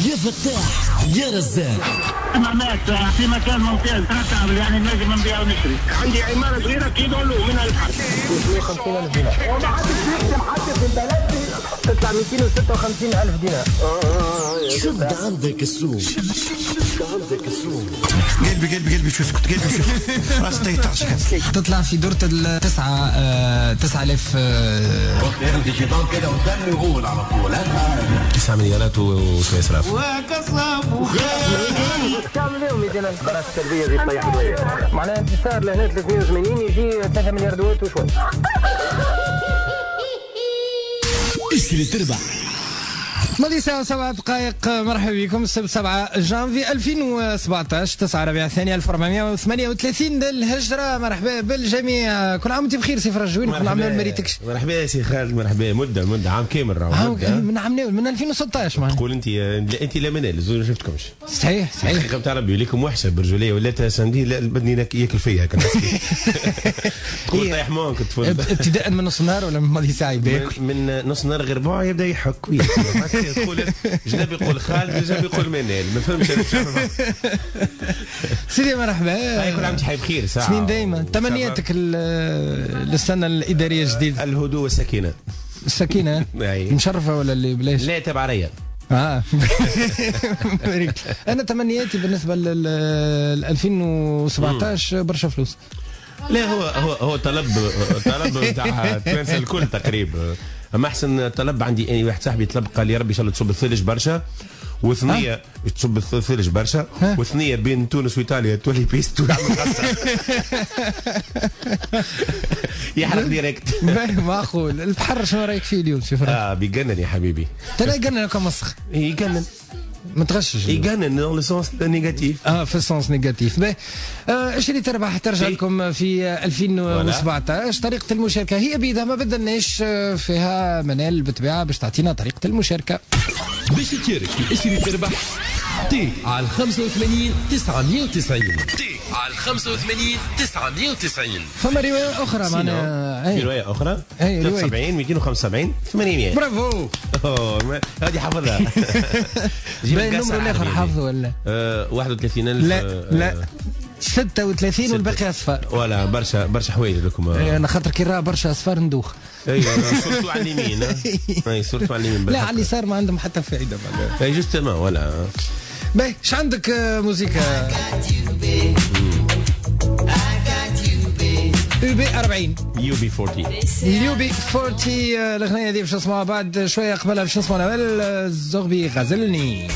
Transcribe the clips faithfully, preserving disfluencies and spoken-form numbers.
يا فتاح يا رزاق. مات في مكان ممتاز رتب، يعني نجم نبيع ونشتري. عندي عمارة صغيرة كي يدولوا من البحر ثلاثمية وخمسين ألف دينار، وما عادش يخدم حتى في البلد، تطلع مئتين وستة وخمسين ألف دينار. شد عندك السوق، شد عندك السوق. قلبي قلبي قلبي شوف كنت قلبي شوف راسي يطرشك. تطلع في دورة التسعة تسعة آلاف. ياخد الشيطان كده قدامي ويقول على طول تسعة مليارات وشوية صراف. تعمل لهم مئتين ألف براس التربية زي طيح شوية، معناها انتصار لهنا ثلاثمية وثمانين يجي ثلاثة مليار دوات وشوية. اشتري تربح. ماضي ساعة وسبعة دقائق. مرحبا بكم. السبت سبعة جانفي ألفين وسبعطاش، تسعة ربيع الثاني ألف وأربعمية وثمانية وثلاثين للهجرة. مرحبا بالجميع، كل عام وانت بخير سي فرج. وين كل عام ما ريتكش. مرحبا يا سي خالد، مرحبا. مدة مدة عام كامل راهو، من عام من ألفين وستطاش معناها. تقول انت انت لا منال زوج ما شفتكمش. صحيح صحيح. الحقيقة نتاع ربي ليكم وحشة برجولية، ولات ساندي لا بدني ياكل فيا هكا. تقول طيح مونك ابتداء من نص النهار ولا من ماضي ساعة يبدا ياكل؟ من نص النهار غير ربع يبدا يحك وياكل. تقول جناب يقول خالد، جناب يقول منال، ما فهمتش. سيدي مرحبا. كل عام وانت حي بخير. ساعة سنين دايما. تمنياتك للسنة الإدارية الجديدة؟ الهدوء والسكينة. السكينة مشرفة ولا اللي بلاش؟ لا تبع عليا. اه انا تمنياتي بالنسبة لل ألفين وسبعطاش برشا فلوس. لا هو هو هو طلب طلب نتاع التوانسة الكل تقريبا. اما احسن طلب عندي اني واحد صاحبي طلب قال لي ربي ان شاء الله تصب الثلج برشا، وثنية تصب الثلج برشا، وثنية بين تونس وايطاليا تولي piste ويعمل غصة يحرق direct. معقول. البحر شنو رايك فيه اليوم سي فرج؟ اه بيجنن يا حبيبي. تلا يجنن كم مسخ. يجنن متغشش. يجنن dans le sens négatif. اه في ال sens négatif. باهي اشري تربح ترجع لكم في ألفين وسبعطاش. طريقة المشاركة هي بيدها ما بدلناش فيها منال بالطبيعة باش تعطينا طريقة المشاركة. باش تشارك في اشري تربح تي على خمسة وثمانين تسعمية وتسعين، تي على خمسة وثمانين تسعمية وتسعين. فما رواية أخرى معنا. في رواية أخرى ثلاثة وسبعين مئتين وخمسة وسبعين ثمانمية. برافو. هذه حافظها. باين النمر الآخر حافظه ولا؟ واحد وثلاثين ألف. لا لا ستة وثلاثين والباقي أصفار. ولا برشا برشا حوايج لكم. أنا خاطر كي راه برشا أصفار ندوخ. اي surtout على اليمين. اي surtout على اليمين. لا على اليسار ما عندهم حتى فائدة. اي justement voilà. باهي اش عندك موزيكا؟ UB أربعين. UB أربعين. UB أربعين. الأغنية هذه باش نسمعوها بعد شوية. قبلها باش نسمعوا نوال الزغبي غزلني.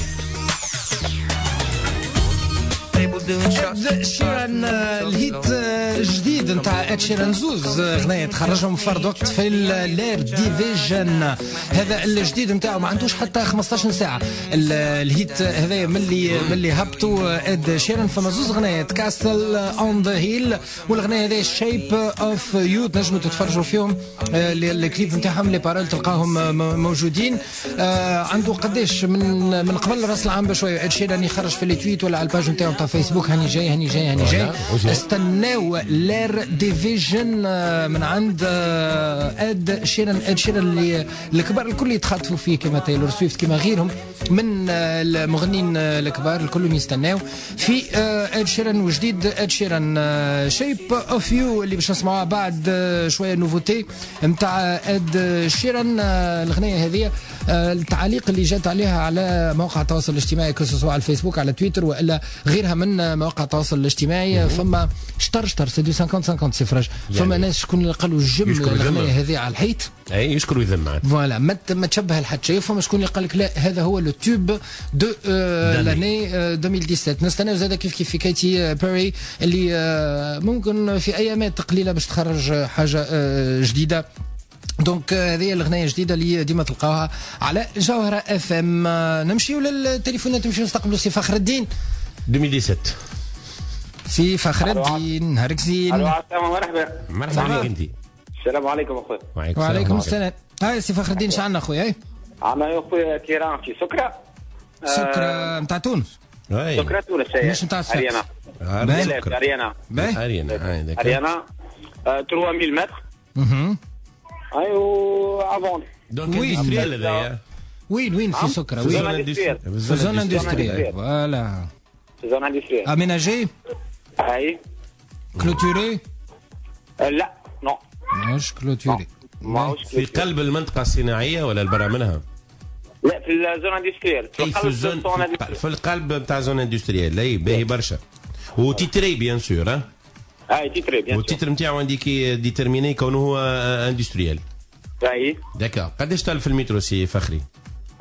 إد شيران ال hit الجديد نتاع إد شيران، زوز أغنية تخرجهم فرد وقت في ال L'Air Division. هذا الجديد نتاعو ما عندوش حتى خمسطاش ساعة. ال hit هذايا ملي ملي هبطوا إد شيران فما زوز أغنيات، Castle on the Hill والأغنية هذه Shape of You، تنجموا تتفرجوا فيهم الكليب نتاعهم، les paroles تلقاهم موجودين. عنده قداش من من قبل راس العام بشوية إد شيران يخرج في les tweets ولا على ال page نتاعو نتاع فيسبوك هاني جاي هاني جاي هاني جاي. استناو L'Air Division من عند اد شيران. اد شيران اللي الكبار الكل يتخاطفوا فيه كما تايلور سويفت كما غيرهم من المغنيين الكبار الكل يستناو في اد شيران وجديد اد شيران Shape of You اللي باش نسمعوها بعد شوية nouveauté نتاع اد شيران. الاغنية هذه التعاليق اللي جات عليها على مواقع التواصل الاجتماعي que ce soit على الفيسبوك على تويتر والا غيرها من مواقع التواصل الاجتماعي، فما شطر شطر c'est du خمسين خمسين سي فرج. فما ناس شكون اللي قالوا الجملة الاغنية هذه على الحيط، اي يشكر ويذم voilà ما ما تشبه لحد شيء. فما شكون اللي قال لك لا هذا هو le tube de l'année ألفين وسبعطاش. نستناو زاد كيف كيف في كايتي بيري اللي ممكن في ايامات قليله باش تخرج حاجة جديدة. donc هذه الاغنية الجديدة اللي ديما تلقاوها على جوهره اف ام. نمشيو للتليفونات، نمشيو نستقبلوا سي فخر الدين. ألفين وسبعطاش. سي فخر الدين نهارك زين. الو عسلامة، مرحبا. مرحبا بك انت. السلام عليكم اخويا. وعليكم السلام. هاي سي فخر الدين شعلنا اخويا؟ اي عندنا يا خويا terrain في سكرة. سكرة نتاع تونس. سكرة تونس مش نتاع صفاقس. اريانا. اريانا. اريانا. اريانا ثلاثة آلاف متر. اها. ايوا à vendre. donc industriel هذايا. وين وين في سكرة؟ في zone industrielle. في zone industrielle voilà. في zone industrielle. aménagé؟ اي. clôturé؟ لا non. ماهوش clôturé. في قلب المنطقة الصناعية ولا البرا منها؟ لا في ال zone industrielle. في ال zone في القلب نتاع zone industrielle. اي باهي برشا. و titré bien sûr ها؟ اي titré bien sûr. وال titre نتاعو indiqué déterminé كونه هو industriel. اي. d'accord. قداش طالب في المترو سي فخري؟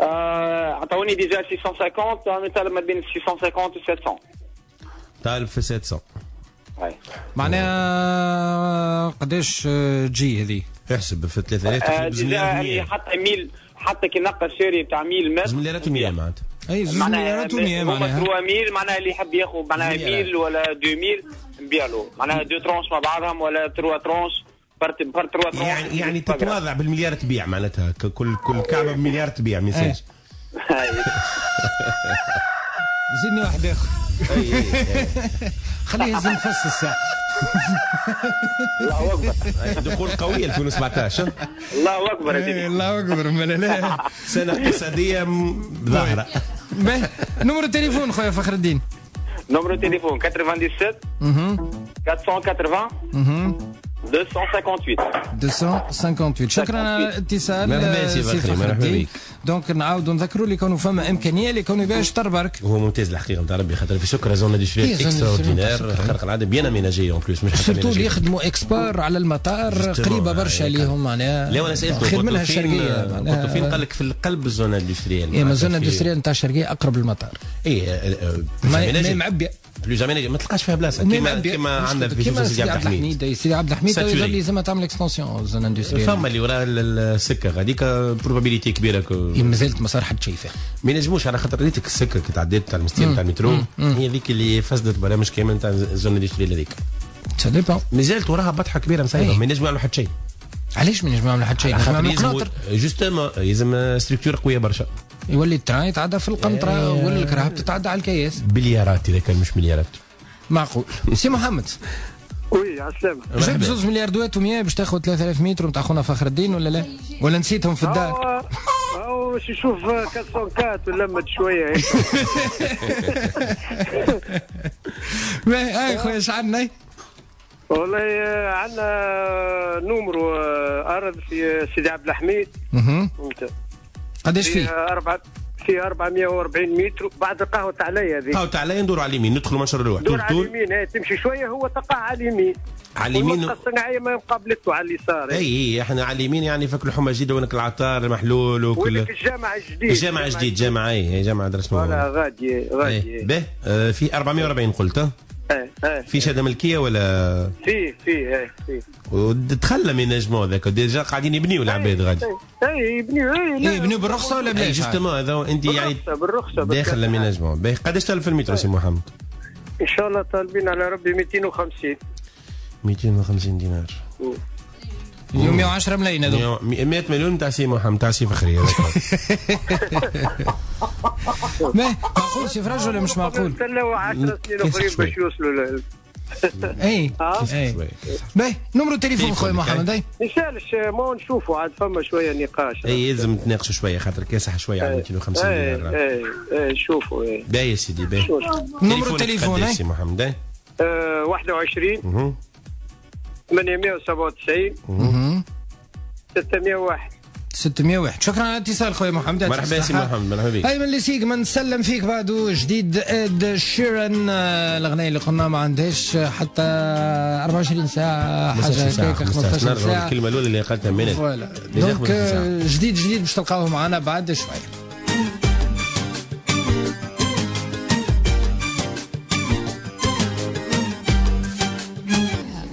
عطاوني déjà ستمية وخمسين، انا طالب ما بين ستمية وخمسين و سبعمية. طالب في سبعمية. اي. معناها قداش تجي هذه؟ احسب في ثلاثة آلاف déjà حتى mille، حتى كي نقى الشاري بتاع mille متر زوج مليارات ومية معناتها. اي زوج مليارات ومية معناها. ثلاثة mille معناها اللي يحب ياخذ معناها mille ولا deux mille نبيع له، معناها deux tranches مع بعضهم ولا trois tranches par par trois tranches. يعني يعني تتواضع بالمليار تبيع معناتها، كل كل كعبه بمليار تبيع ما يسالش. زيدني واحد اخر. خليه يهز الفص الساعة. الله اكبر. دخول قوي ألفين وسبعطاش. الله اكبر يا سيدي. الله اكبر. لا سنة اقتصادية ظاهره. numéro التليفون خويا فخر الدين. numéro التليفون سبعة وتسعين أربعمية وثمانين مئتين وثمانية وخمسين مئتين وثمانية وخمسين. شكرا على الاتصال. مرحبا سي فخري، مرحبا بك. donc نعاودوا نذكروا اللي كانوا فما امكانية اللي كانوا يبيعوا شطر برك. هو ممتاز الحقيقة نتاع ربي، خاطر في سكره zone industrielle extraordinaire خارق العادة، bien aménagée en plus. مش surtout اللي يخدموا export على المطار قريبه برشا ليهم معناها. لا وانا سالته خير منها الشرقية. قلت فين؟ قال لك في القلب ال zone industrielle. اي ما zone industrielle نتاع الشرقية اقرب للمطار. اي ما معبيه plus aménagée، ما تلقاش فيها بلاصة كيما كيما عندنا في سيدي عبد الحميد. سيدي عبد الحميد يظل لازم تعمل extension zone industrielle. فما اللي وراء السكة غاديك probabilité كبيرة مازالت ما صار حد شيء فيها. ما ينجموش على خاطر ريتك السكة كي تعديت تاع المستير تاع المترو هي ذيك اللي فسدت برامج كامل تاع ال zone industrielle هذيك. ça dépend. مازالت وراها بطحه كبيرة مسايبه، ما ينجموا يعملوا حتى شيء. علاش ما ينجموا يعملوا حتى شيء؟ justement لازم structure قوية برشا. يولي ال train يتعدى في القنطرة ولا الكراهب تتعدى على الكياس. بليارات اذا كان مش مليارات. معقول. سي محمد. oui على السلامة. جبت زوج مليار دوات ومية باش تاخذ ثلاثة آلاف متر نتاع خونا فخر الدين ولا لا؟ ولا نسيتهم في الدار؟ هاو باش نشوف أربعمية وأربعة ولمت شوية هيك. باهي اي خويا اش عندنا؟ والله عندنا numéro ارض في سيدي عبد الحميد. اها. قداش فيه؟ أربعة في أربعمية وأربعين متر بعد قهوة عليا هذيك. قهوة عليا ندوروا على اليمين، ندخلوا منشر الروح. ندور على اليمين، هي تمشي شوية هو تقع على اليمين. على اليمين المنطقة الصناعية ما مقابلته على اليسار. اي اي احنا على اليمين يعني فك الحومة الجديدة ونك العطار المحلول وكل. ولك الجامع الجديد. الجامع الجديد، جامع اي جامع درس شنو. voilà غادي غادي. به في أربعمية وأربعين قلت. ايه ايه. في شهادة ملكية ولا؟ فيه فيه ايه فيه. ودخل l'aménagement هذاك déjà قاعدين يبنيو العباد غادي. اي يبنيو اي يبنيو بالرخصة ولا بلاش؟ justement هذا انت يعني بالرخصة داخل l'aménagement. باهي قداش طالب في المتر سي محمد؟ ان شاء الله طالبين على ربي مئتين وخمسين. مئتين وخمسين دينار. اليوم مئة وعشرة ملايين هذو. مئة مليون تاع سي محمد تاع سي فخري هذاك. معقول سي فرج ولا مش معقول؟ استناو عشر سنين اخرين باش يوصلوا. اي اي باهي numéro التليفون خويا محمد. اي ما يسالش ما نشوفوا عاد فما شوية نقاش. اي لازم نتناقشوا شوية خاطر كاسح شوية على مئتين وخمسين دينار. اي اي شوفوا. اي باهي يا سيدي باهي. numéro التليفون سي محمد. واحد وعشرين ثمانمئة وسبعة وتسعين ستمئة وواحد ستمئة وواحد. شكرا على الاتصال خويا محمد. مرحبا سي محمد، مرحبا بك. ايمن لسيق ما نسلم فيك بعده جديد اد شيران، الاغنية اللي قلنا ما عندهاش حتى أربعة وعشرين ساعة حاجة هكاك خمسطاش ساعة. الكلمة الاولى اللي قالتها منال voilà. donc جديد جديد باش تلقاوه معنا بعد شوية.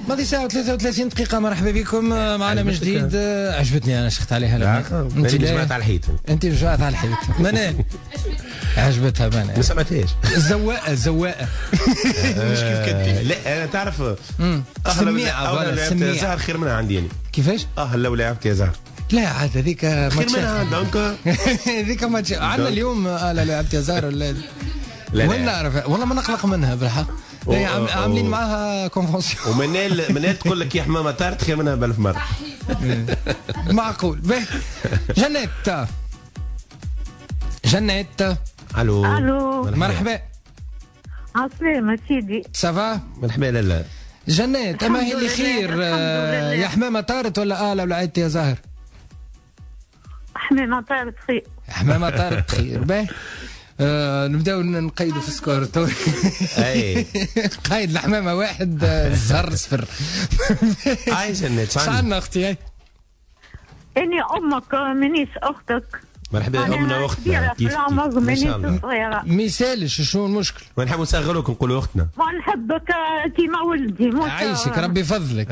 ماضي ساعة وثلاثة وثلاثين دقيقة. مرحبا بكم معنا من جديد. عجبتني أنا شخت عليها لما أنت جمعت على الحيط. أنت جمعت على الحيط منال عجبتها منال. ما سمعتهاش. الزواقة الزواقة مش كيف كنتي. لا أنا تعرف سميعة voilà سميعة زهر خير منها عندي يعني. كيفاش؟ اه لو لعبت يا زهر. لا عاد هذيك خير منها donc هذيك ما عندنا اليوم لا لعبت يا زهر ولا وين نعرف والله ما نقلق منها بالحق. عاملين معاها convention. ومنال منال تقول لك يا حمامه طارت خير منها بألف مرة. معقول. به جنات. جنات. الو. الو. مرحبا. عسلامة سيدي. ça va؟ مرحبا لالا. جنات، اما هي اللي خير يا حمامة طارت ولا آلة ولا عيطت يا زهر؟ حمامة طارت خير. حمامة طارت خير، باهي. آه نبداو نقيدوا في ال score تو. اي قايد الحمامة واحد، الزهر صفر. هاي جنات، شعنا اختي؟ هاي اني امك مانيش اختك. مرحبا، امنا واختنا كيف في العمر مانيش صغيرة. ما يسالش، شنو المشكل؟ ما نحبوا نصغروك نقولوا اختنا. ونحبك كيما ولدي. عايشك ربي يفضلك.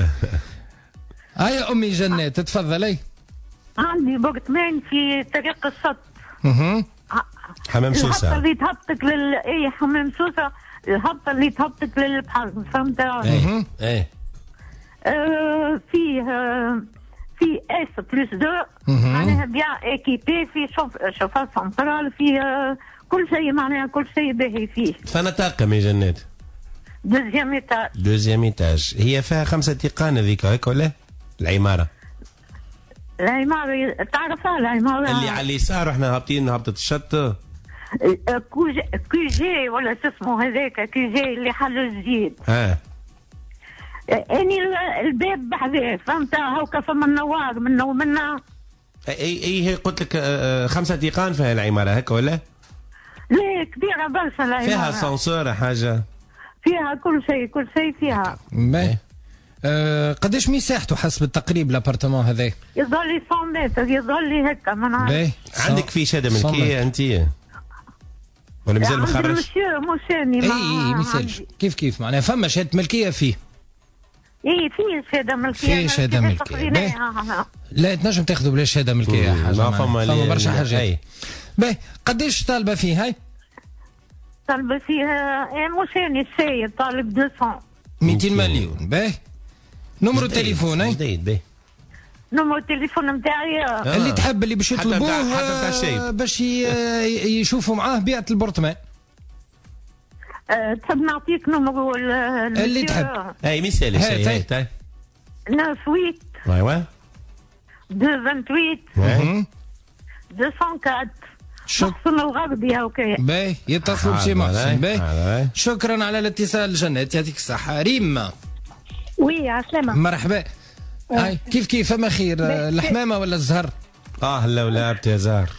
هيا امي جنات تفضلي. عندي برطمان في طريق الشط. اها. حمام سوسة. الهبطه اللي تهبطك لل اي حمام سوسة، الهبطه اللي تهبطك للبحر، فهمت؟ ايه ايه. آه فيه في S plus deux، معناها bien équipé، في chauffage central، في كل شيء، معناها كل شيء باهي فيه. فانا طاقم يا جنات؟ deuxième étage. deuxième étage، هي فيها خمسة تيقان هذيك هيك ولا؟ العمارة. العمارة تعرفها العمارة اللي على اليسار واحنا هابطين هبطة الشط؟ QG ولا شو اسمه هذاك، QG اللي حلو جديد. اه اني الباب بحذاه، فهمت؟ هوكا فما النوار منا ومنا. اي اي هي قلت لك خمسة تيقان فيها العمارة هكا ولا؟ لا كبيرة برشا العمارة. فيها سانسور حاجة؟ فيها كل شيء، كل شيء فيها. باهي. أه قداش مساحته حسب التقريب l'appartement هذا؟ يظهر لي مية متر، يظهر لي هكا ما نعرف. عندك في شهادة ملكية انت؟ ولا مازال ما خرجش؟ مسيو مش اي اي ما يسالش، كيف كيف معناها فما شهادة ملكية فيه. اي فيه شهادة ملكية. فيه شهادة ملكية. لا تنجم تاخذوا بلا شهادة ملكية حاجة. ما فما فما برشا حاجات. باهي قداش طالبه فيه هاي؟ طالبه فيها مش اني السيد طالب مئتين. مئتين مليون. باهي numéro التليفون؟ اي جديد. باهي numéro التليفون نتاعي آه. اللي تحب اللي باش يطلبوه باش يشوفوا معاه بيعة ال appartement. أه تحب نعطيك numéro اللي تحب؟ اي ما يسالش. هاي هاي تسعة ثمانية اثنين ثمانية مئتين وأربعة. محسن الغربي هاكا. باهي يتصلوا بسي محسن. باهي شكرا على الاتصال جنات، يعطيك الصحة. ريم. oui عسلامة. مرحبا. هاي كيف كيف فما خير، الحمامة ولا الزهر؟ اه لا ولعبت يا زهر.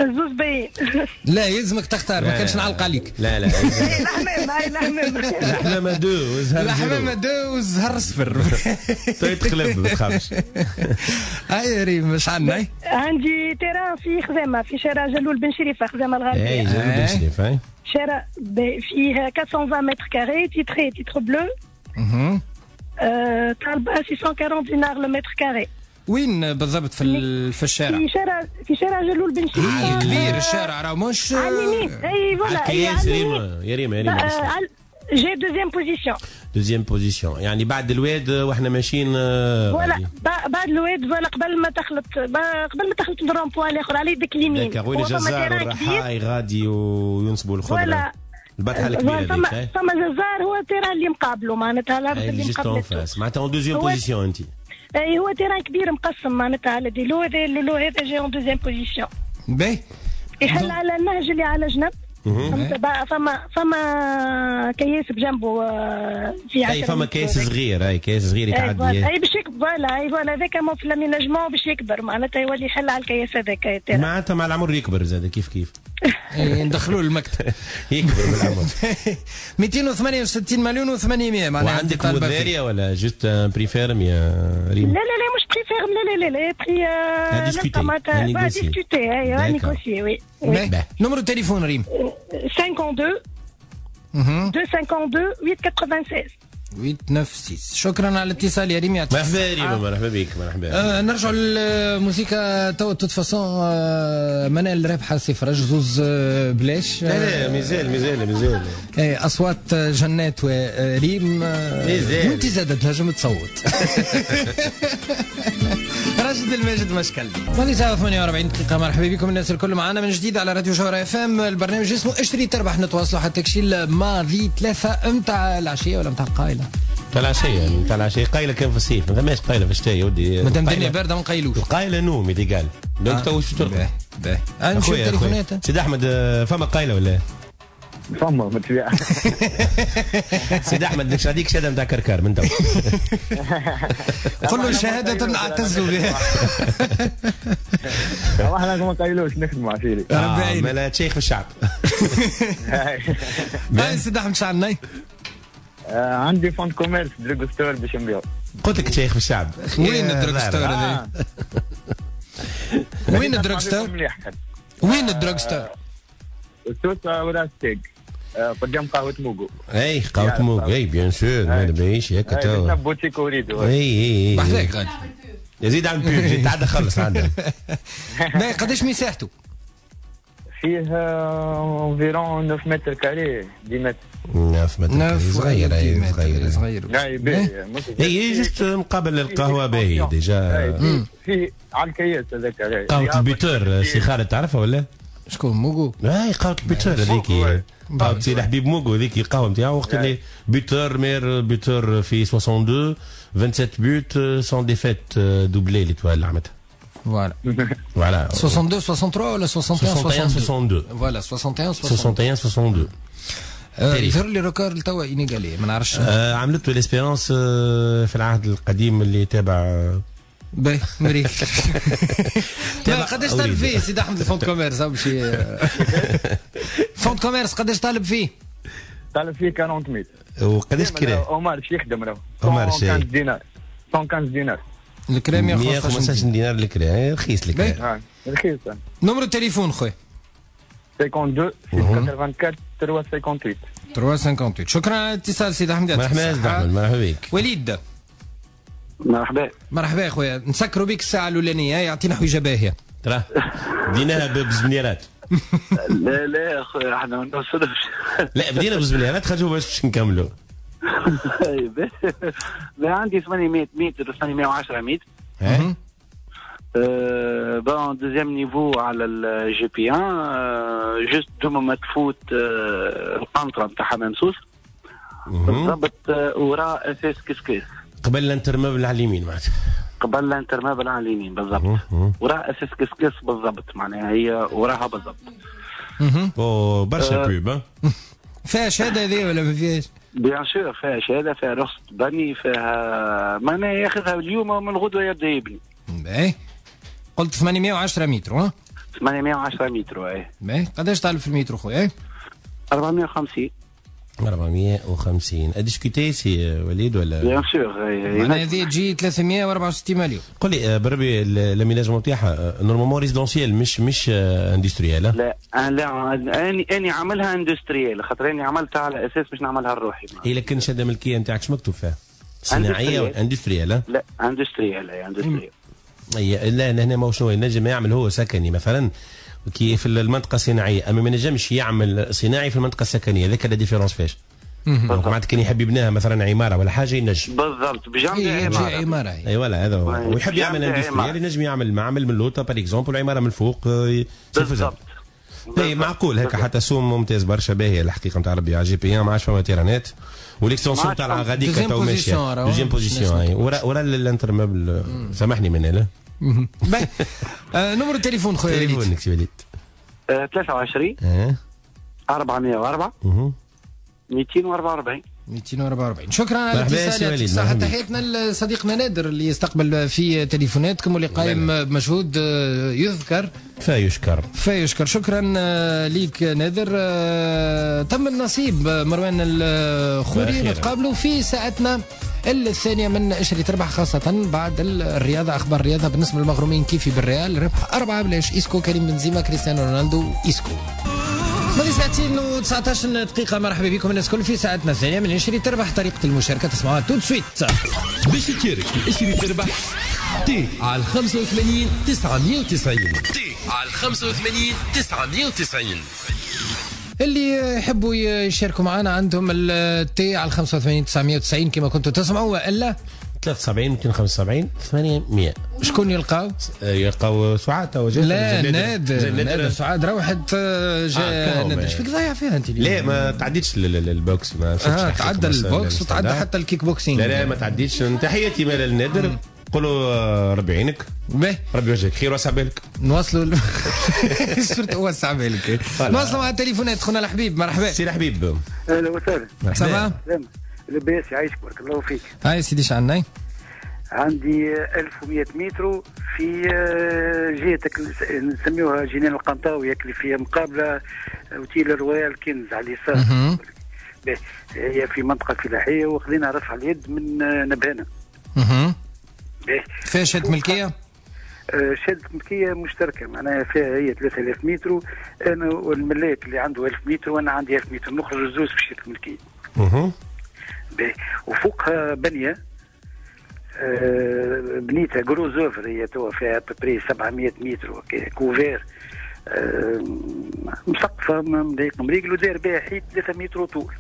الزوز باين. لا يلزمك تختار، ما كانش نعلق عليك. لا لا الحمامة، هاي الحمامة. الحمامة deux والزهر. الحمامة deux والزهر صفر. تقلب ما تخافش. هاي ريم اش عندنا؟ عندي terrain في خزامة، في شارع جلول بن شريفة، خزامة الغربية. اي جلول بن شريفة. شارع فيه أربعمية وعشرين mètres carrés، titré titre bleu. طالبة ستمية وأربعين دينار le mètre carré. وين بالضبط في في الشارع؟ في شارع في شارع جلول بن شريفة. كبير الشارع راه مش على اليمين. اي voilà يا ريما يا ريما يا ريما جي deuxième position. deuxième position يعني بعد الواد واحنا ماشيين. voilà بعد الواد، voilà قبل ما تخلط قبل ما تخلط ال rond-point الاخر على يدك اليمين. وين الجزار والرحاي غادي وينصبوا الخضرة. البطحه الكبيرة هذيك. فما فما جزار هو ال terrain اللي مقابله، معناتها الارض اللي مقابلته. معناتها en deuxième position انت. اي هو terrain كبير مقسم معناتها على des lots، هذا le lot هذا جاي en deuxième position. باهي يحل على النهج اللي على جنب. فما فما كياس بجنبه في اي فما كياس صغير، اي كياس صغير يتعدي. اي باش يكبر، voilà اي voilà هذاك في l'aménagement باش يكبر، معناتها يولي يحل على الكياس هذاك. معناتها مع العمر يكبر زاد كيف كيف. ندخلوه المكتب يكبر بالعمر. مئتين وثمانية وستين مليون وثمانمية معناها. وعندك مدارية ولا juste prix ferme يا ريم؟ لا لا لا مش prix ferme، لا لا لا لا prix à discuter، اي négocier. oui numéro التليفون ريم؟ اثنين اثنين مئتين اثنين وثمانية وستين ثمانية تسعة ستة. شكرا على الاتصال يا ريم، يعطيك مرحبا ريم، مرحبا بك. مرحبا. آه نرجعوا للموسيقى تو toute façon. آه منال رابحه صفر زوز آه بلاش. لا لا مازال مازال مازال. ايه اصوات جنات وريم. مازال وانت زادت تنجم تصوت. راشد الماجد مشكل. ثمانية وثمانية وأربعين دقيقة. مرحبا بكم الناس الكل معنا من جديد على راديو جوهرة اف ام. البرنامج اسمه اشتري تربح. نتواصلوا حتى كشي الماضي ثلاثة متاع العشية ولا متاع القايلة. تاع العشية تاع العشية قايله كان في الصيف ما ثماش قايله في الشتاء يا ودي. مادام الدنيا باردة ما نقيلوش. القايله نوم illégal donc تو شو ترقد. باهي باهي نشوف تليفونات. سيد احمد فما قايله ولا؟ فما بالطبيعة. سيد احمد باش نعطيك شهادة نتاع كركار من تو. قل له شهادة اعتز بها. احنا ما نقيلوش نخدموا عشيري. ربي مالا تشيخ في الشعب. باهي سيد احمد شو عندنا؟ عندي fonds de commerce drugstore باش نبيعو. قلت لك تشيخ في الشعب. وين ال drugstore هذا؟ وين ال drugstore؟ وين ال drugstore؟ سوسة وراس تيك قدام قهوة موغو. اي قهوة موغو اي bien sûr ما نبيش هكا تو. بوتيك وريدو. اي اي بحذاك غادي. يزيد عن بيب تعدى خلص عندها. باهي قداش مساحته؟ فيه environ تسعة mètres carrés dix mètres. تسعة متر صغير اي صغير صغير. اي باهي. اي juste مقابل القهوة باهي déjà. فيه على الكياس هذاك. قهوة ال buteur سي خالد تعرفها ولا؟ شكون موغو؟ اي قهوة ال buteur هذيك قهوة سي الحبيب موغو هذيك القهوة نتاعو وقت اللي buteur meilleur buteur في اثنين وستين سبعة وعشرين buts sans défaite doublé l'Étoile عملتها. voilà voilà اثنين وستين ثلاثة وستين ولا واحد وستين اثنين وستين. voilà واحد وستين واحد وستين اثنين وستين. يظهر لي record توا inégalé ما نعرفش. عملته l'Espérance في العهد القديم اللي تابع. باهي مريك. قداش طالب فيه سيد احمد ال fonds de commerce باش fonds de commerce قداش طالب فيه؟ طالب فيه أربعين ميل. وقداش كراه؟ عمر شي يخدم راهو. عمر شي مية وخمسة عشر دينار مية وخمسة عشر دينار الكرا مية وخمسة عشر دينار الكرا رخيص الكرا. رخيص. numéro التليفون خويا؟ اثنين وخمسين ستة أربعة ثلاثة ثمانية ثلاثة ثمانية. شكرا على الاتصال سيد احمد. مرحبا سيد احمد مرحبا بك. وليد مرحبا. مرحبا يا خويا نسكروا بك الساعة الاولانية يعطينا حويجه باهيه. ترى بديناها بزمنيرات. لا لا يا خويا احنا ما نوصلوش. لا بدينا بزمنيرات خرجوا باش نكملوا. عندي ثمانمية متر ثمانمية وعشرة متر. bon deuxième niveau على ال GP واحد juste دوما ما تفوت القنطرة نتاع حمام سوس بالضبط وراء اساس كسكيس. قبل l'Intermeuble على اليمين معناتها. قبل l'Intermeuble على اليمين بالضبط وراء اساس كسكس بالضبط معناها هي وراها بالضبط. او برشا pub. فيها شهادة هذه ولا ما فيهاش؟ bien sûr فيها شهادة فيها رخصه بني فيها معناها ياخذها اليوم ومن غدوه يبدا يبني. باهي قلت ثمانمية وعشرة متر ها؟ ثمانمية وعشرة متر اي. باهي قداش طالب في المتر خويا؟ أربعمية وخمسين. أربعمية وخمسين à discuter سي وليد ولا؟ bien sûr. معناها هذه تجي ثلاثمية وأربعة وستين مليون. قل لي بربي l'aménagement تاعها normalement résidentiel مش مش industriel. لا لا اني اني عاملها industriel خاطر اني عملتها على اساس باش نعملها لروحي. اي لكن شهادة ملكية نتاعك شو مكتوب فيها؟ صناعية ولا industriel؟ لا industriel industriel. اي لا هنا ما شنو ينجم يعمل هو سكني مثلا كي في المنطقة الصناعية اما ما نجمش يعمل صناعي في المنطقة السكنية هذاك la différence فاش. معناتها كان يحب يبنيها مثلا عمارة ولا حاجة ينجم. بالضبط بجنب عمارة. عمارة اي voilà هذا هو. ويحب يعمل industriel ينجم يعمل معمل من لوطا par exemple عمارة من الفوق. بالضبط. اي معقول هكا حتى سوم ممتاز برشا باهيه الحقيقة نتاع ربي على GP ما عادش فما تيرانات و l'extension تاع غاديك تو ماشية deuxième position ورا ورا l'Intermeuble سامحني من هنا. باهي numéro التليفون خويا وليد. تليفونك سي وليد. ثلاثة وعشرين أربعمية وأربعة مئتين وأربعة وأربعين مئتين وأربعة وأربعين. شكرا على الاتصال. صحة تحياتنا لصديقنا نادر اللي يستقبل في تليفوناتكم واللي قايم بمجهود يذكر فيشكر فيشكر. شكرا ليك نادر. تم النصيب مروان الخوري. نتقابلوا في ساعتنا الثانية من اشري تربح خاصة بعد الرياضة أخبار الرياضة بالنسبة للمغرومين كيفي بالريال ربح أربعة بلاش إيسكو كريم بنزيما كريستيانو رونالدو إيسكو. ماضي ساعتين وتسعطاش دقيقة. مرحبا بكم الناس الكل في ساعتنا الثانية من اشري تربح. طريقة المشاركة تسمعوها tout de suite. باش تشارك في اشري تربح T على خمسة وثمانين تسعمية وتسعين. T على خمسة وثمانين تسعمية وتسعين. اللي يحبوا يشاركوا معنا عندهم ال T على خمسة وثمانين تسعمية وتسعين كما كنتوا تسمعوا والا ثلاثة وسبعين مئتين وخمسة وسبعين ثمانمية. شكون يلقاو؟ يلقاو سعاد تو لا نادر نادر سعاد روحت جا نادر. اش فيك ضايع فيها انت اليوم؟ لا ما تعديتش ال boxe، ما آه تعدى ال boxe وتعدى حتى الكيك بوكسينغ. لا لا ما تعديتش. تحياتي مال النادر، قولوا ربي يعينك، ربي يوجهك خير وسع بالك. نواصلوا surtout وسع بالك. نواصلوا مع التليفونات. خونا الحبيب مرحبا. سي الحبيب اهلا وسهلا. ça va؟ لاباس يعيشك بارك الله فيك. هاي سيدي شعنا عندي ألف ومية متر في جهتك نسميوها جنان القنطاوي اللي فيها مقابله اوتيل رويال كنز على اليسار. هي في منطقة فلاحية وخذينا رفع اليد من نبهانه. اها. فيها شهادة ملكية؟ شهادة ملكية مشتركة، معناها فيها هي ثلاثة آلاف متر، انا والملاك اللي عنده ألف متر وانا عندي ألف متر، نخرج الزوز في شهادة الملكية. اها. وفوقها بنيه آه بنيتها gros œuvre، هي توا فيها à peu près سبعمية متر couvert آه مسقفه مضيق مريقل وداير بها حيط ثلاثة متر طول.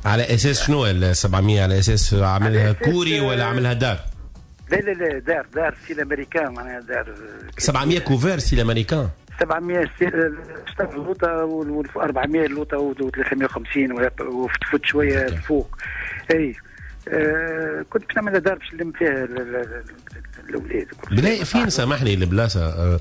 على اساس شنو ال سبعمية؟ على اساس عاملها كوري ولا عاملها دار؟ لا لا لا دار دار style américain، معناها دار سبعمية couvert style américain. سبعمية شطر اللوطه و أربعمية اللوطه و ثلاثمية وخمسين وتفوت شوية الفوق. اي آه كنت باش نعمل دار باش نلم فيها الاولاد. بلا فين سامحني البلاصة؟ آه.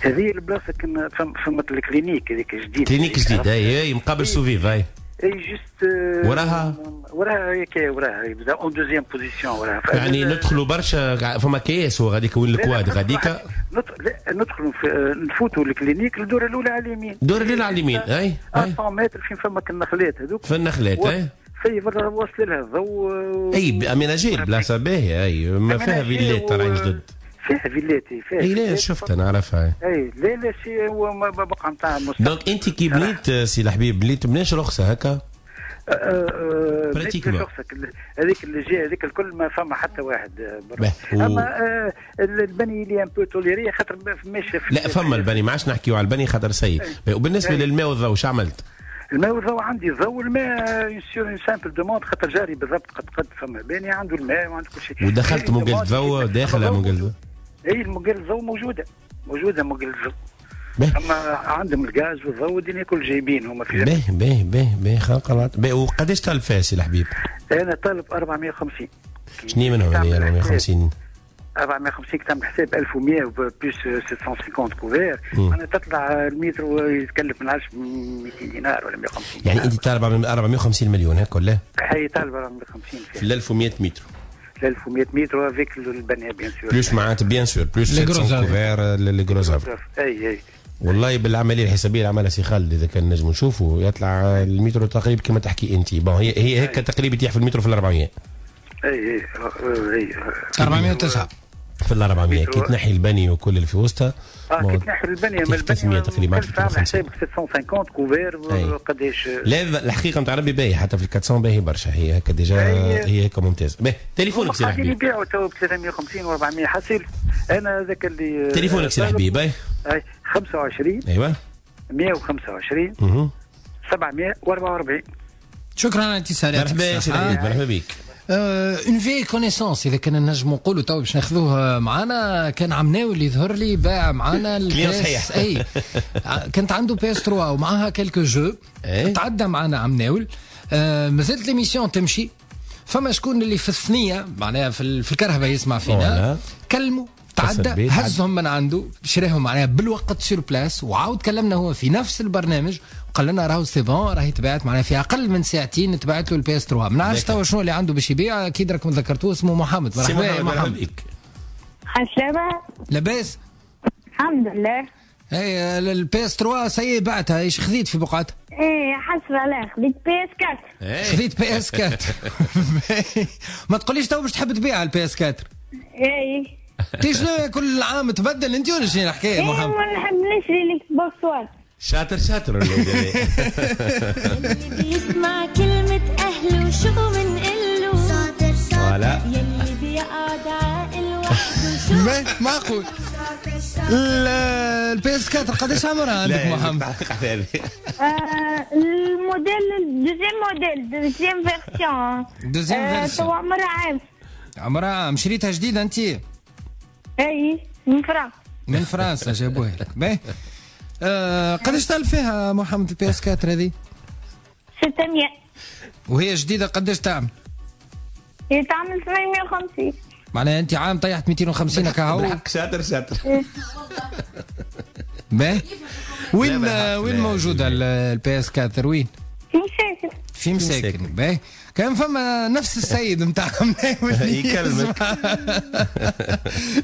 هذه البلاصة كنا فما ال clinique هذيك جديد. clinique جديد اي اي مقابل سوفيف اي. اي juste وراها وراها هيك وراها en deuxième position وراها. يعني ندخلوا برشا فما كياس وغاديك وين ال quad غاديك ندخلوا نفوتوا ال clinique الدورة الاولى على اليمين. الدورة الاولى على اليمين اي مية متر فين فما النخلات هذوك. في النخلات اي في واصل لها الضوء. اي aménagée بلاصة باهيه اي ما فيها فيلات طالعين جدد. فيها فيلات فيها اي لا شفت انا عرفها. اي لا لا c'est هو بقعة نتاع donc انت كي بنيت سي الحبيب بنيت بناش رخصه هكا؟ pratiquement هذيك اللي جاي هذيك الكل ما فما حتى واحد. اما آه البني اللي un peu toléré خاطر ما فماش. لا فما البني ما عادش نحكيو على البني خاطر سيء. وبالنسبة للماء والضوء شو عملت؟ الماء والضوء عندي الضوء الماء sur une simple demande خاطر جاري بالضبط قد قد فما باني عنده الماء وعنده كل شيء. ودخلت منقل الضوء داخل منقل الضوء؟ اي منقل الضوء موجودة موجودة منقل الضوء. اما عندهم الغاز والضوء والدنيا كل جايبين هما في باهي باهي باهي باهي خلق. باهي وقداش طالب فيها سي الحبيب؟ انا طالب أربعمية وخمسين. شنو منهم هذه أربعمية وخمسين؟ أربعمية وخمسين تعمل حساب ألف ومية plus ستمية وخمسين couvert، معناها تطلع المتر يتكلف من عشرة مئتين دينار ولا مية وخمسين. يعني انت طالب أربعمية وخمسين مليون هكا ولا؟ هي طالب أربعمية وخمسين في ألف ومية متر. ألف ومية متر avec البنية bien sûr. plus معناتها bien sûr plus ستمية couverts les gros œuvres. اي اي والله بالعملية الحسابيه اللي عملها سي خالد اذا كان نجم نشوفوا يطلع المترو تقريبا كما تحكي انت. bon هي هي هيك تقريبا يطيح في المترو في ال أربعمية. اي اي اي أربعمية وتسعة في ال أربعمية كي تنحي البني وكل اللي في وسطها. اه كي تنحي البنية من البنية تقريبا حسابك ستمية وخمسين couverts قداش. لا الحقيقة نتاع ربي باهي حتى في ال أربعمية باهي برشا هي هكا déjà هي هكا ممتازة. باهي تليفونك سي الحبيب. يبيعوا تو ب ثلاثمية وخمسين و أربعمية حصيل انا هذاك اللي تليفونك سي الحبيب. اي اي خمسة وعشرين ايوا مية وخمسة وعشرين سبعمية وأربعة وأربعين. شكرا على اتصالاتك. مرحبا سي الحبيب مرحبا بك. une vieille connaissance اذا كان نجم نقولوا تو باش ناخذوه معانا. كان عمناوي اللي يظهر لي باع معانا ال PS اي كانت عنده PS ثلاثة ومعاها quelques jeux. تعدى معانا عمناول. آه مازالت l'émission تمشي. فما شكون اللي في الثنية معناها في, في الكرهبه يسمع فينا كلموا تعدى هزهم من عنده شراهم معناها بالوقت sur place. وعاود كلمنا هو في نفس البرنامج وقال لنا راهو c'est bon راهي تبعت معناها في اقل من ساعتين تبعت له ال PS ثلاثة. ما نعرفش توا شنو اللي عنده باش يبيع اكيد راكم ذكرتوه اسمه محمد. مرحبا يا محمد. عسلامة. لاباس؟ الحمد لله. اي ال PS ثلاثة ça y est بعتها ايش خذيت في بقعتها؟ ايه حسرة لا خذيت PS أربعة. خذيت PS أربعة. ما تقوليش تو باش تحب تبيع ال PS أربعة. ايه تي شنو كل عام تبدل انت ولا شنو الحكاية يا محمد؟ ايه ما نحب نشري ال Xbox One. شاطر شاطر اللي بيسمع كلمة أهله وشو منقله شاطر شاطر يلي بيقعد عاقل وحده شو معقول. ال PS أربعة قداش عمرها عندك محمد؟ الموديل deuxième modèle deuxième version. deuxième version. تو عمرها عام. عمرها عام. شريتها جديدة انت؟ اي من فرنسا. من فرنسا جابوها لك. باهي آه قداش طالب فيها محمد ال PS أربعة هذه؟ ستمية. وهي جديدة قداش تعمل؟ هي تعمل ثمانمية وخمسين. معناها انت عام طيحت مئتين وخمسين هكا هو. بالحق شاطر شاطر. باهي وين وين موجودة ال PS أربعة وين؟ في مساكن. في مساكن. باهي كان فما نفس السيد نتاع يكلمك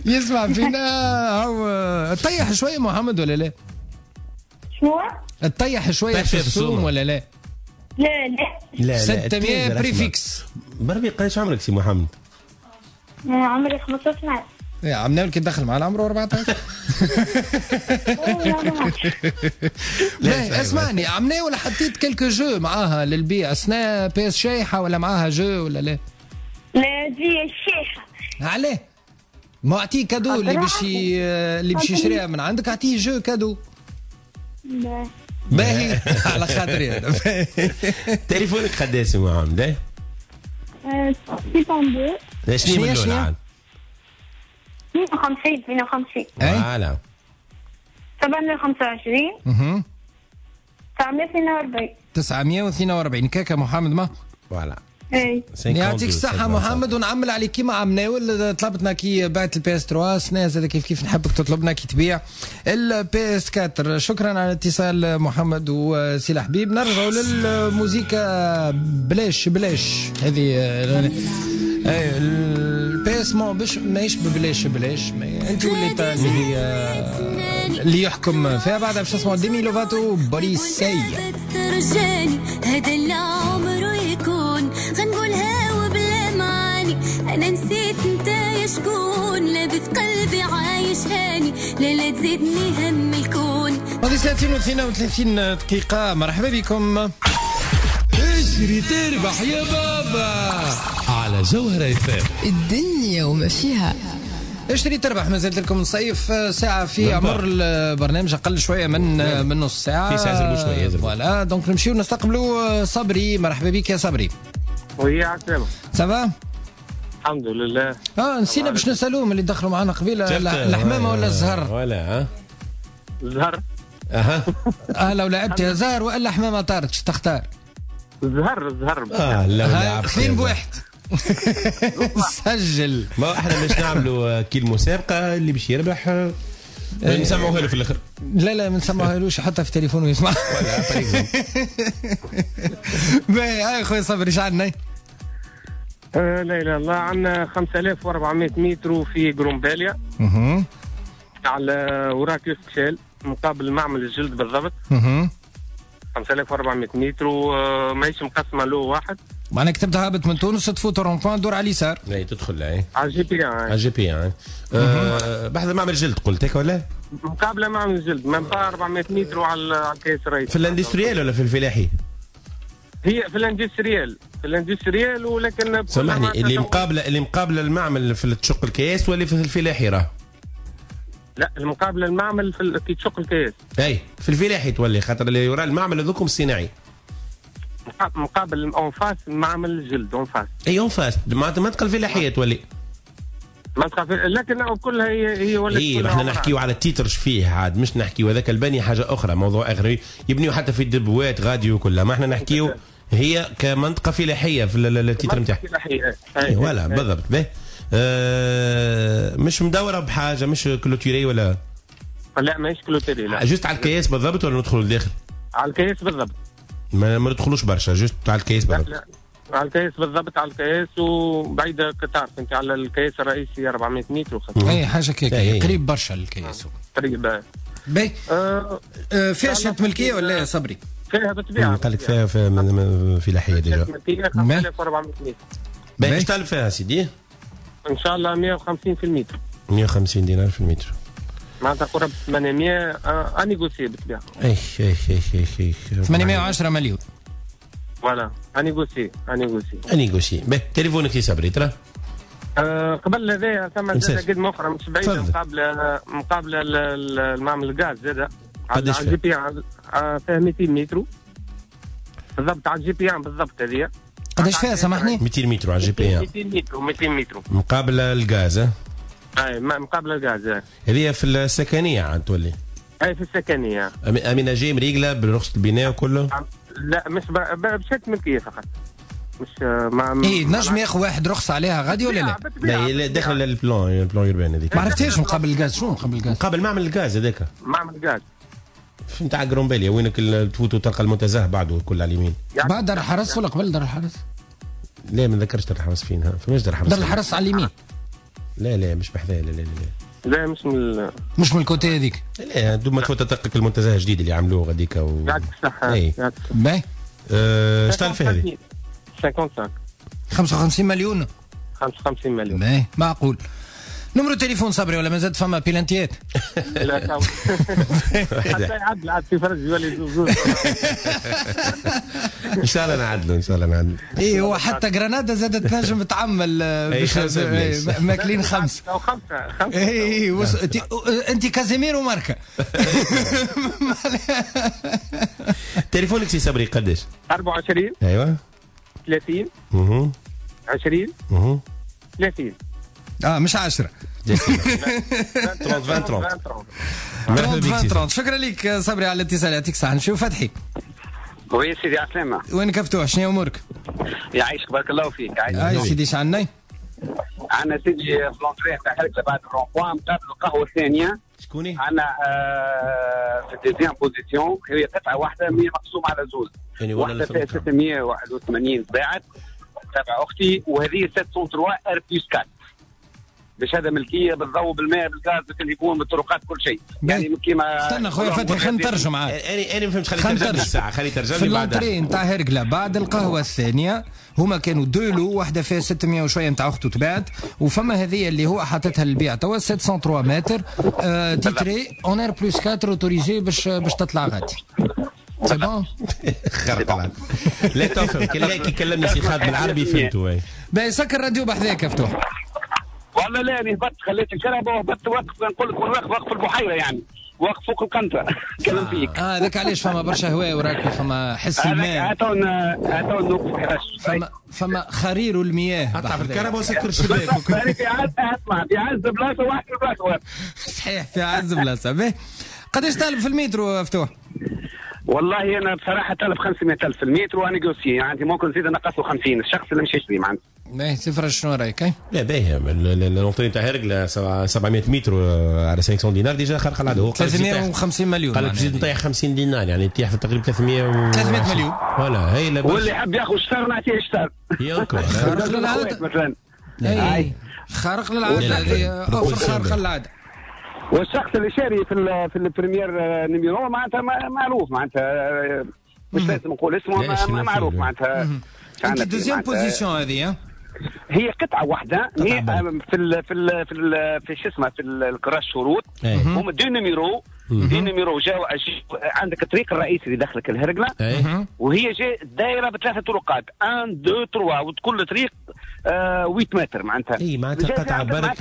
يسمع فينا. هو طيح شوية محمد ولا لا؟ شنو؟ تطيح شوية في السوم ولا لا؟ لا لا لا ستمية prix fixe. بربي قداش عمرك سي محمد؟ عمري خمسطاش عام. يا عمنا كي دخل معنا عمره أربعطاش. لا اسمعني، عمنا ولا حطيت quelques jeux معاها للبيع؟ سنة PS شايحه ولا معاها jeux ولا لا؟ لا دي شايحه. علاه؟ ما اعطيه cadeau اللي باش اللي باش يشريها من عندك، اعطيه jeu cadeau. باهي على خاطري انا. تليفونك قداش يا محمد؟ ستة اثنين. شنو من الاول عاد؟ اثنين وخمسين اثنين وخمسين. voilà. سبعمية وخمسة وعشرين. اها. تسعمية واثنين وأربعين. تسعمية واثنين وأربعين كاكا محمد ما؟ voilà. اي يعطيك الصحة محمد، ونعمل عليك كيما عمناول طلبتنا كي بعت ال PS ثلاثة سنة زاد كيف كيف نحبك تطلبنا كي تبيع ال PS أربعة. شكرا على الاتصال محمد وسي الحبيب. نرجعوا للموزيكا بلاش بلاش هذه ال PS مو باش ماهيش ببلاش بلاش، انت وليت اللي هي اللي يحكم فيها. بعدها باش نسمعوا ديمي لوفاتو بوليسي. هذا اللي عمره يكون غنقولها وبلا معاني، انا نسيت انت يا شكون، لابد قلبي عايش هاني، لا لا تزيدني هم الكون. هذه ساعتين واثنين وثلاثين دقيقة. مرحبا بكم. اجري تربح يا بابا على جوهرة اف ام. الدنيا وما فيها. اشتري تربح، ما زلت لكم نصيف ساعة في عمر البرنامج، أقل شوية من من نص ساعة. في ساعة زربوا شوية. voilà donc نمشيو نستقبلوا صبري. مرحبا بك يا صبري. oui عسلامة. ça va؟ الحمد لله. اه نسينا باش نسألوهم اللي دخلوا معنا قبيلة، الحمامة ولا الزهر؟ ولا ها؟ الزهر. اها. اه لو لعبت يا زهر والا حمامة طارت تختار؟ الزهر الزهر. اه لو لعبت اثنين بواحد. سجل. ما احنا باش نعملوا كي المسابقة اللي باش يربح نسمعوها له في الاخر. لا لا ما نسمعوهالوش، حتى في تليفونه يسمع. ولا باهي. هاي خويا صبري اش عندنا؟ لا اله الا الله. عندنا خمسة آلاف وأربعمية متر في قرمباليا. اها. على وراك يوسف مقابل معمل الجلد بالضبط. اها. خمسة آلاف وأربعمية متر وماهيش مقسمة له واحد. معناها كتبت هابط من تونس تفوت rond-point دور على اليسار. اي تدخل اي على ال GP على ال GP بحذا معمل الجلد قلت هيك ولا؟ مقابله معمل الجلد même pas أربعمية متر على الكيس الرئيسي. في ال industriel ولا في الفلاحي؟ هي في ال industriel، في ال industriel ولكن سامحني اللي مقابله اللي مقابله المعمل في تشق الكياس ولا في الفلاحي راه؟ لا المقابلة المعمل في كي تشق الكياس. اي في الفلاحي تولي خاطر اللي وراء المعمل هذوكم الصناعي. مقابل en face معمل الجلد en face. اي en face معناتها المنطقة الفلاحية تولي. منطقة لكن كلها هي هي ولا اي احنا نحكيو على ال titre فيه عاد مش نحكيو هذاك البني حاجة اخرى موضوع اخر يبنيو حتى في الدبوات غادي وكلها، ما احنا نحكيو هي كمنطقه فلاحية في ال titre نتاعها. فلاحية اي voilà بالضبط. به آه مش مدورة بحاجة، مش clôturée ولا؟ لا ماهيش clôturée لا. juste على الكياس بالضبط ولا ندخلوا لداخل؟ على الكياس بالضبط. ما ما ندخلوش برشا، juste على الكياس بالضبط. لا على الكياس بالضبط، على الكياس وبعيدة كتعرف انت على الكياس الرئيسي أربعمية متر. اي حاجة كيك قريب برشا للكياس. قريب. باهي آه فيها شهادة ملكية ولا يا صبري؟ فيها بالطبيعة. قال لك فيها في فلاحية déjà. ملكية خمسة آلاف وأربعمية متر. باهي اش طالب فيها سيدي؟ ان شاء الله مية وخمسين في المتر. مية وخمسين دينار في المتر. معناتها قرب ثمانمية à négocier بالطبيعة. اي اي اي اي اي ثمانمية وعشرة مليون. voilà à négocier à négocier. à négocier. باهي تليفونك يا صبري ترى؟ أه قبل هذايا ثم زاد قدمه اخرى مش بعيدة مقابله مقابله المعمل الغاز زاد على ال GP فيها ميتين متر بالضبط على ال GP بالضبط هذه. قداش فيها سامحني؟ مئتين متر على GP واحد. مئتين متر مئتين متر مقابله الغاز. اي مقابله الغاز. هذه في السكنية عاد تولي. اي في السكنية. aménagée مريقله برخصه البناء وكله؟ لا مش بشهادة ملكية فقط. مش مع اي نجم ياخذ واحد رخصه عليها غادي ولا لا؟ لا داخل ال plan ال plan urbain هذيك. ما عرفتهاش مقابل الغاز، شنو مقابل الغاز؟ مقابل معمل الغاز هذاك. معمل الغاز نتاع قرنباليا وينك تفوت وتلقى المنتزه بعده كل على اليمين. بعد دار الحرس ولا قبل دار الحرس؟ لا ما نذكرش دار الحرس فين، فماش دار الحرس. دار الحرس على اليمين. لا لا مش بحذايا، لا لا لا لا مش من مش من ال côté هذيك. لا دوب ما تفوت تلقى المنتزه الجديد اللي عملوه غاديك و يعطيك الصحة. اي باهي. اش طالب فيها هذه؟ خمسة وخمسين خمسة وخمسين مليون. خمسة وخمسين مليون. باهي معقول. numéro تليفون صبري ولا مازال فما بيلانتيات؟ لا حتى يعدل عاد في فرج يولي زوز. ان شاء الله نعدلوا ان شاء الله نعدلوا. اي هو حتى جرانادا زادت تنجم تعمل ماكلين خمسة او خمسة خمسة. اي انت كازيمير وماركه. تليفونك سي صبري قداش؟ أربعة وعشرين ايوه ثلاثين اها عشرين اها ثلاثين. اه مش عشرة. ثلاثين ثلاثين ثلاثين. شكرا لك صبري على الاتصال، يعطيك الصحة. نمشيو فتحي. oui سيدي عسلامة. وينك فتوح، شنو امورك؟ يعيشك بارك الله فيك. عايش سيدي، شعنا؟ عندنا سيدي في l'entrée تاع هرقلة بعد ال rond-point مقابل القهوة الثانية. شكوني؟ عندنا في ال deuxième position، هي قطعة واحدة مية مقسومة على زوز. واحدة فيها ستمية وواحد وثمانين باعت تبع أختي، وهذه سبعمية وثلاثة R plus أربعة. بشهادة ملكية بالضوء بالماء بالغاز بالتليفون بالطرقات كل شيء. يعني كيما استنى خويا فتحي خلينا نترجم معاك. انا انا ما فهمتش، خلي ترجم الساعة، خلي ترجم لي بعد. في l'entrée نتاع هرقله بعد القهوة الثانية هما كانوا deux lots، واحدة فيها ستمية وشوية نتاع اخته تباعت، وفما هذه اللي هو حاطتها للبيع توا سبعمية وثلاثة متر آه titré en R plus أربعة autorisé باش باش تطلع غادي. c'est bon خرب. لا تفهم كي كلمني سي خالد بالعربي فهمته. باهي سكر الراديو بحذاك فتوح. والله لا انا هبطت خليت الكهرباء وهبطت واقف، نقول لك واقف واقف في البحيرة يعني، واقف فوق القنطرة كلام فيك. اه هذاك علاش فما برشا هواء وراك وفما حس الماء. هاتون هاتون نوقف فما فما خرير المياه. اطلع في الكهرباء وسكر الشباك. في عز اسمع في عز بلاصة واحد في بلاصة. صحيح في عز بلاصة. باهي قداش طالب في المترو فتوح؟ والله انا بصراحة طالب خمسمية ألف في المتر و à négocier، يعني ممكن نزيد نقص له خمسين الشخص اللي مش يشري معناتها. باهي سي شنو رايك؟ لا باهي l'entrée تاع هرقله سبعمية متر على خمسمية دينار déjà خرق العادة. هو ثلاثمية وخمسين مليون. قال لك تزيد نطيح خمسين دينار يعني تطيح في تقريبا ثلاثمية و ثلاثمية مليون. voilà هي لا واللي يحب ياخذ شطر نعطيه شطر. ياكل خارق للعادة مثلا. اي خارق للعادة هذه offre خارقة للعادة. والشخص اللي شاري في ال في ال premier numéro معناتها معروف معناتها، مش لازم نقول اسمه معروف معناتها. انت deuxième position هذه هي قطعه واحدة في ال في ال في ال في شو اسمه في الكراس شروط هما deux numéros deux numéros جاو عندك الطريق الرئيسي اللي دخلك الهرقله وهي جاي دايرة بثلاثة طرقات واحد اثنين ثلاثة وكل طريق ثمانية متر معناتها. اي معناتها قطعه برك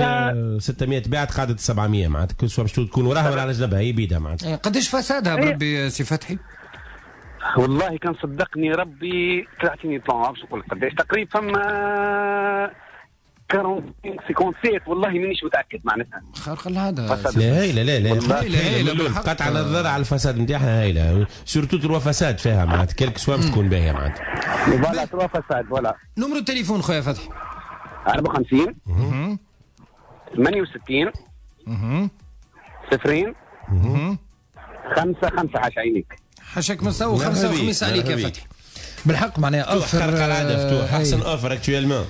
ستمية باعت قعدت سبعمية معناتها كل سوا باش تكون وراها ولا على جنبها هي بيدها معناتها. قداش façade ها بربي سي فتحي؟ والله كان صدقني ربي طلعتني plan باش نقول قداش تقريبا فما أربعين خمسة وسبعين والله مانيش متاكد معناتها. خارق العادة. لا هايلة لا لا لا قطع النظر على ال façade نتاعها هايلة surtout trois façades فيها معناتها quelque soit باش تكون باهيه معناتها. voilà trois façades voilà. numéro التليفون خويا فتحي؟ أربعة وخمسين ثمانية وستين صفرين خمسة خمسة حاش عينيك. حاشاك مستوى خمسة وخميس عليك يا فتحي. بالحق معناها offre خارق العادة فتوح احسن offre actuellement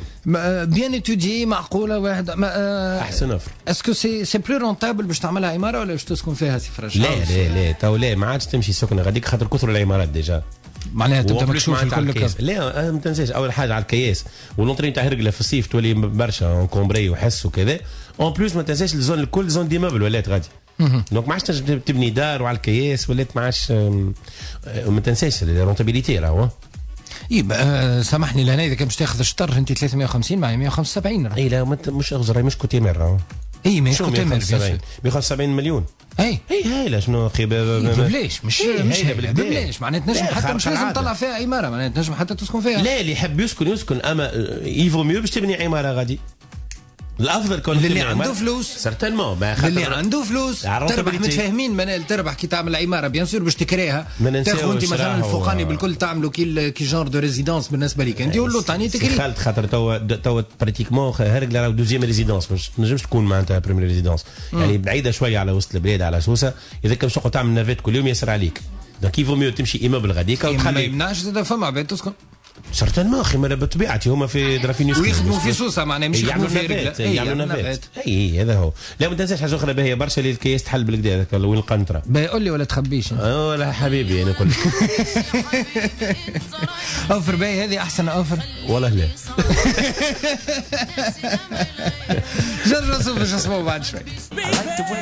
bien étudiée معقولة واحد احسن offre. est-ce que c'est c'est plus rentable باش تعملها عمارة ولا باش تسكن فيها سي فرج؟ لا لا لا تو لا ما عادش تمشي سكنه غاديك خاطر كثر العمارات déjà معناها تبدا مكشوف الكل. لا ما تنساش اول حاجة على الكياس و l'entrée نتاع هرقله في الصيف تولي برشا encombrée وحس وكذا. en plus ما تنساش ال zone الكل zone d'immeubles ولات غادي donc ما عادش تنجم تبني دار وعلى الكياس ولات ما عادش. ما تنساش ال rentabilité راهو. اي سامحني لهنا اذا كان باش تاخذ الشطر انت ثلاثمية وخمسين مع مية وخمسة وسبعين. اي لا مش اغزر مش côté mer راهو. اي مش côté mer مية وخمسة وسبعين مليون. اي اي هايلة شنو اخي ببلاش مش مش هايلة ببلاش معناها تنجم حتى مش لازم تطلع فيها عمارة معناها تنجم حتى تسكن فيها. لا اللي يحب يسكن يسكن اما il vaut mieux باش تبني عمارة غادي الافضل كون اللي عنده فلوس certainement اللي عنده فلوس تربح متفاهمين منال تربح كي تعمل عمارة bien sûr باش تكريها تاخذ انت مثلا الفوقاني بالكل تعملوا كي كي genre de résidence بالنسبة لك انت واللوطاني تكري خالد خاطر توا توا pratiquement هرقله راهو deuxième résidence مش تنجمش تكون معناتها première résidence يعني بعيدة شوية على وسط البلاد على سوسة اذا كان باش تقعد تعمل navette كل يوم ياسر عليك donc il vaut mieux تمشي immeuble غاديك وتخلي ما يمنعش زاد فما عباد تسكن certainement اخي ما بطبيعتي هما في درافين يسكنوا ويخدموا في سوسة معناها مش يخدموا في رجله يعملوا navette اي هذا هو. لا ما تنساش حاجة اخرى باهيه برشا اللي الكياس تحل بالكدا هذاك وين القنطرة. باهي قول لي ولا تخبيش اه لا حبيبي انا نقول لك offre باهي هذه احسن offre والله لا. جرب نشوف باش نسمعوا بعد شوي.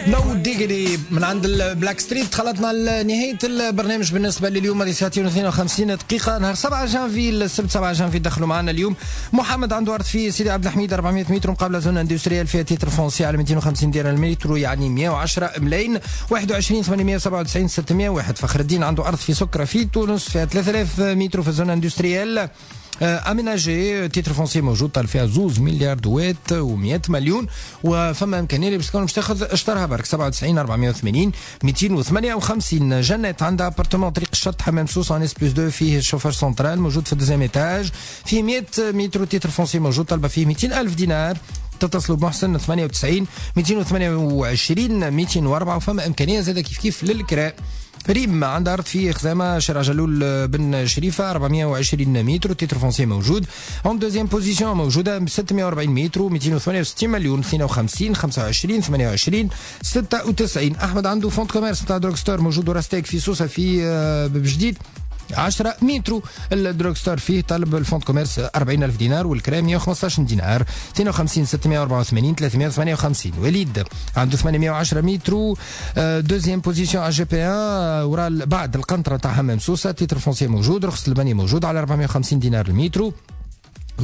No Diggity من عند ال Blackstreet. خلطنا لنهاية البرنامج بالنسبة لليوم هذه ساعتين واثنين وخمسين دقيقة نهار سبعة جانفي السبت سبعة جانفي دخلوا معنا اليوم محمد عنده ارض في سيدي عبد الحميد أربعمية متر مقابله zone industrielle فيها titre foncier على مئتين وخمسين دينار المتر يعني مئة وعشرة ملايين. واحد وعشرين ثمانمئة وسبعة وتسعين ستمئة وواحد. فخر الدين عنده ارض في سكره في تونس فيها ثلاثة آلاف متر في zone industrielle aménagée titre foncier موجود طال فيها زوز مليار دوات ومئة مليون وفما امكانية اللي باش تكون باش تاخذ اشترها برك سبعة وتسعين أربعمئة وثمانين مئتين وثمانية وخمسين. جنات عندها appartement طريق الشط حمام سوس en S plus اثنين فيه chauffage central موجود في ال deuxième étage فيه مئة متر titre foncier موجود طالبه فيه مئتين ألف دينار. تتصلوا بمحسن ثمانية وتسعين مئتين وثمانية وعشرين مئتين وأربعة وفما امكانية زاده كيف كيف للكراء. ريم عندها أرض في خزامة شارع جلول بن شريفة أربعمئة وعشرين متر titre foncier موجود en deuxième position موجودة ستمئة وأربعين متر مئتين وثمانية وستين مليون اثنين وخمسين خمسة وعشرين ثمانية وعشرين ستة وتسعين. أحمد عنده fonds de commerce نتاع drugstore موجود وراستيك في سوسة في بجديد عشرة متر ال drugstore فيه طلب ال fonds de commerce أربعين ألف دينار والكرام مئة وخمسة عشر دينار. اثنين وخمسين ستمئة وأربعة وثمانين ثلاثمئة وثمانية وخمسين. وليد عنده ثمانمئة وعشرة متر deuxième position على GP واحد ورا بعد القنطرة تاع حمام سوسة titre foncier موجود رخص البني موجود على أربعمئة وخمسين دينار المتر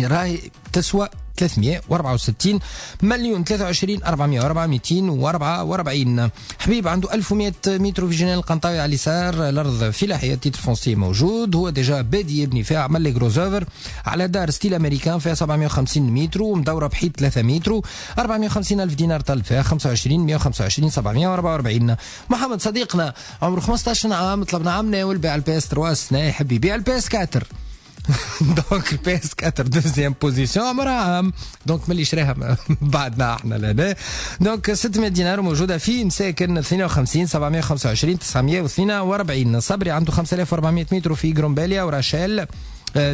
راهي تسوى ثلاثمئة وأربعة وستين مليون. ثلاثة وعشرين أربعمئة وأربعة مئتين وأربعة وأربعين. حبيب عنده ألف ومئة متر في جنان القنطاوي على اليسار الأرض فلاحية titre foncier موجود هو déjà بادي يبني فيها عمل les gros œuvres على دار style américain فيها سبعمئة وخمسين متر ومدورة بحيط ثلاثة متر أربعمئة وخمسين ألف دينار طلب فيها خمسة وعشرين مئة وخمسة وعشرين سبعمئة وأربعة وأربعين. محمد صديقنا عمره خمسة عشر عام طلبنا عام ناول بيع ال PS ثلاثة سنة يحب يبيع ال PS أربعة donc ال PS أربعة deuxième position عمرها عام donc ملي شراها بعدنا احنا لهنا donc ستمئة دينار موجودة في مساكن اثنين وخمسين سبعمئة وخمسة وعشرين تسعمئة واثنين وأربعين. صبري عنده خمسة آلاف وأربعمئة متر في جرومباليا وراشيل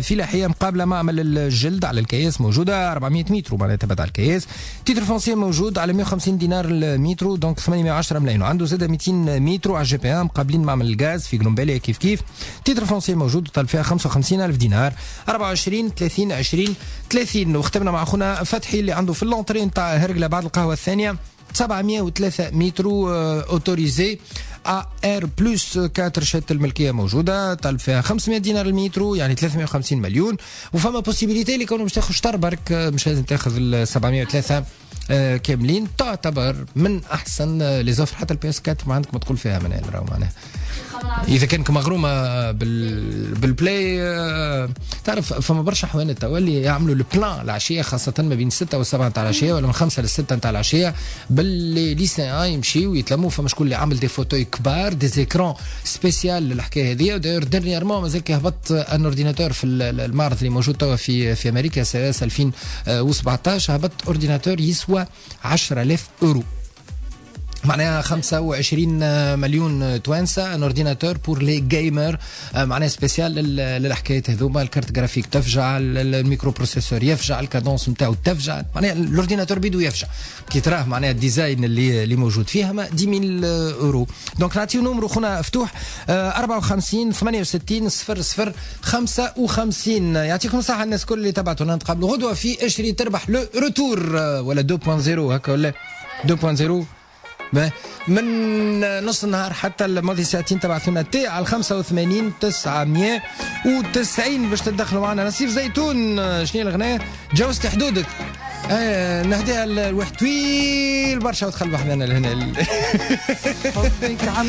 فلاحية مقابله معمل الجلد على الكياس موجودة أربعمئة متر معناتها تبعد على الكياس titre foncier موجود على مئة وخمسين دينار المتر donc ثمانمئة وعشرة ملايين. وعنده زاد مئتين متر على GP مقابلين معمل الغاز في جرومباليا كيف كيف titre foncier موجود طالب فيها خمسة وخمسين ألف دينار. أربعة وعشرين ثلاثين عشرين ثلاثين. وختمنا مع اخونا فتحي اللي عنده في l'entrée نتاع هرقله بعد القهوة الثانية سبعمئة وثلاثة متر autorisé R plus أربعة شهادة الملكية موجودة طالب فيها خمسمئة دينار المتر يعني ثلاثمئة وخمسين مليون وفما possibilité اللي كانوا باش تاخذ شطر برك مش لازم تاخذ ال سبعمئة وثلاثة كاملين تعتبر من احسن les offres حتى ال PS أربعة ما عندك ما تقول فيها منال راهو معناها اذا كانك مغرومه بال بال Play تعرف فما برشا حوانت توا اللي يعملوا ال plein العشية خاصة ما بين ستة وسبعة نتاع العشية ولا من خمسة لستة نتاع العشية باللي lycéens يمشيو ويتلموا فما شكون اللي عامل des fauteuils كبار des écrans spécial للحكايه هذه. d'ailleurs dernièrement مازال كي هبط un ordinateur في المعرض اللي موجود توا في في امريكا CES ألفين وسبعطاش هبط ordinateur يسوى عشرة آلاف اورو معناها خمسة وعشرين مليون توانسة un ordinateur pour les gamers معناها spécial للحكايات هذوما ال carte graphique تفجع ال microprocesseur يفجع ال cadence نتاعو تفجع معناها l'ordinateur بيدو يفجع كي تراه معناها ال design اللي اللي موجود فيها ما عشرة ألف اورو. donc نعطيو numéro خونا فتوح أربعة وخمسين ثمانية وستين صفر صفر خمسة وخمسين. يعطيكم الصحة الناس الكل اللي تبعتونا نتقابلوا غدوه في اشري تربح le retour ولا اثنين صفر هكا ولا اثنين صفر من نص النهار حتى الماضي ساعتين. تبعثونا T على خمسة وثمانين تسعمية وتسعين باش تدخلوا معنا. نصيف زيتون شنو الغناية جوزت حدودك. آه نهديها الواحد طويل برشا ودخل بحذانا لهنا. حبك عم